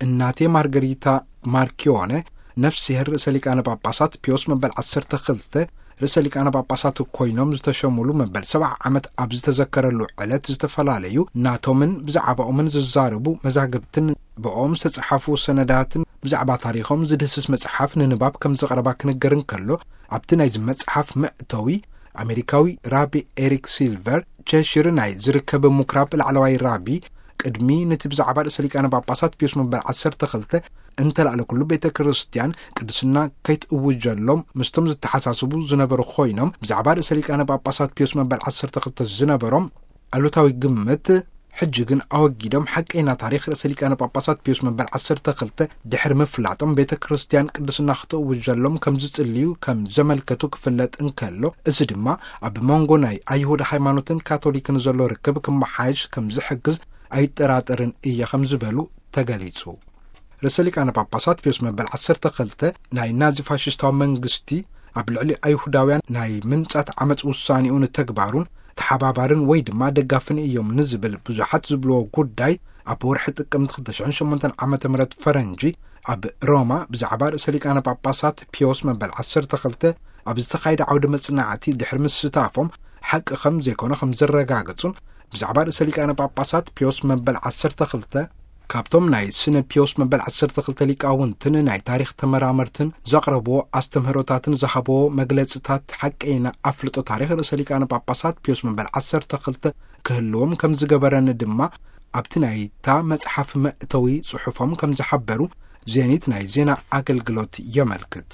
እናቴ ማርገሪታ ማርኪዮነ፣ ነፍስሄር ርእሰ ሊቃነ ጳጳሳት ፒዮስ መበል ዓሰርተ ክልተ ርእሰ ሊቃነ ጳጳሳት ኮይኖም ዝተሸሙሉ መበል ሰብዓ ዓመት ኣብ ዝተዘከረሉ ዕለት፣ ዝተፈላለዩ ናቶምን ብዛዕባኦምን ዝዛረቡ መዛግብትን ብኦም ዝተጸሓፉ ሰነዳትን ብዛዕባ ታሪኾም ዝድህስስ መጽሓፍ ንንባብ ከም ዝቐረባ ክንገር እንከሎ፣ ኣብቲ ናይዚ መጽሓፍ መእተዊ ኣሜሪካዊ ራቢ ኤሪክ ሲልቨር ቸሽር ናይ ዝርከብ ምኩራብ ላዕለዋይ ራቢ ቅድሚ ነቲ ብዛዕባ ርእሰ ሊቃነ ጳጳሳት ፒዮስ መበል ዓሰርተ ክልተ እንተላዕለ ኩሉ ቤተ ክርስቲያን ቅድስና ከይትእውጀሎም ምስቶም ዝተሓሳስቡ ዝነበሩ ኮይኖም፣ ብዛዕባ ርእሰ ሊቃነ ጳጳሳት ፒዮስ መበል ዓሰርተ ክልተ ዝነበሮም ኣሉታዊ ግምት ሕጂ ግን ኣወጊዶም፣ ሓቀይና ታሪኽ ርእሰ ሊቃነ ጳጳሳት ፒዮስ መበል ዓሰርተ ክልተ ድሕሪ ምፍላጦም ቤተ ክርስቲያን ቅድስና ክትእውጀሎም ከም ዝጽልዩ ከም ዘመልከቱ ክፍለጥ እንከሎ፣ እዚ ድማ ኣብ መንጎ ናይ ኣይሁድ ሃይማኖትን ካቶሊክን ዘሎ ርክብ ክመሓየሽ ከም ዝሕግዝ ኣይጠራጠርን እየ ከም ዝበሉ ተገሊጹ። ርእሰ ሊቃነ ጳጳሳት ፒዮስ መበል ዓሰርተ ክልተ ናይ ናዚ ፋሽስታዊ መንግስቲ ኣብ ልዕሊ ኣይሁዳውያን ናይ ምንጻት ዓመጽ ውሳኔኡ ንተግባሩን ተሓባባርን ወይ ድማ ደጋፍን እዮም ንዝብል ብዙሓት ዝብልዎ ጉዳይ፣ ኣብ ወርሒ ጥቅምቲ ክልተ ሽሕን ሸሞንተን ዓመተ ምህረት ፈረንጂ ኣብ ሮማ ብዛዕባ ርእሰ ሊቃነ ጳጳሳት ፒዮስ መበል ዓሰርተ ክልተ ኣብ ዝተኻየደ ዓውደ መጽናዕቲ ድሕሪ ምስታፎም፣ ሓቂ ከም ዘይኮነ ከም ዘረጋገጹን፣ ብዛዕባ ርእሰ ሊቃነ ጳጳሳት ፒዮስ መበል ዓሰርተ ክልተ ካብቶም ናይ ስነ ፒዮስ መበል ዓሰርተ ክልተ ሊቃውንትን ናይ ታሪኽ ተመራመርትን ዘቕረብዎ ኣስተምህሮታትን ዝሃብዎ መግለጽታት ሓቀይና ኣፍልጦ ታሪኽ ርእሰ ሊቃነ ጳጳሳት ፒዮስ መበል ዓሰርተ ክልተ ክህልዎም ከም ዝገበረን ድማ ኣብቲ ናይታ መጽሓፍ መእተዊ ጽሑፎም ከም ዝሓበሩ ዜኒት ናይ ዜና ኣገልግሎት የመልክት።